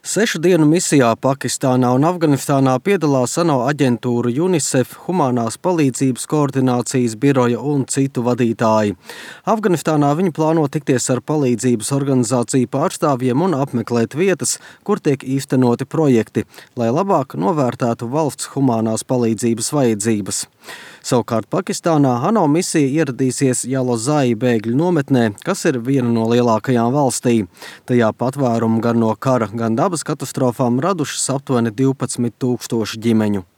6 dienu misijā Pakistānā un Afganistānā piedalās ANO aģentūra UNICEF, humanās palīdzības koordinācijas biroja un citu vadītāji. Afganistānā viņi plāno tikties ar palīdzības organizāciju pārstāvjiem un apmeklēt vietas, kur tiek īstenoti projekti, lai labāk novērtētu valsts humanās palīdzības vajadzības. Savukārt Pakistānā ANO misija ieradīsies Jalozai bēgļu nometnē, kas ir viena no lielākajām valstī. Tajā patvērumu gan no kara, gan dabas katastrofām radušas aptuveni 12 000 ģimeņu.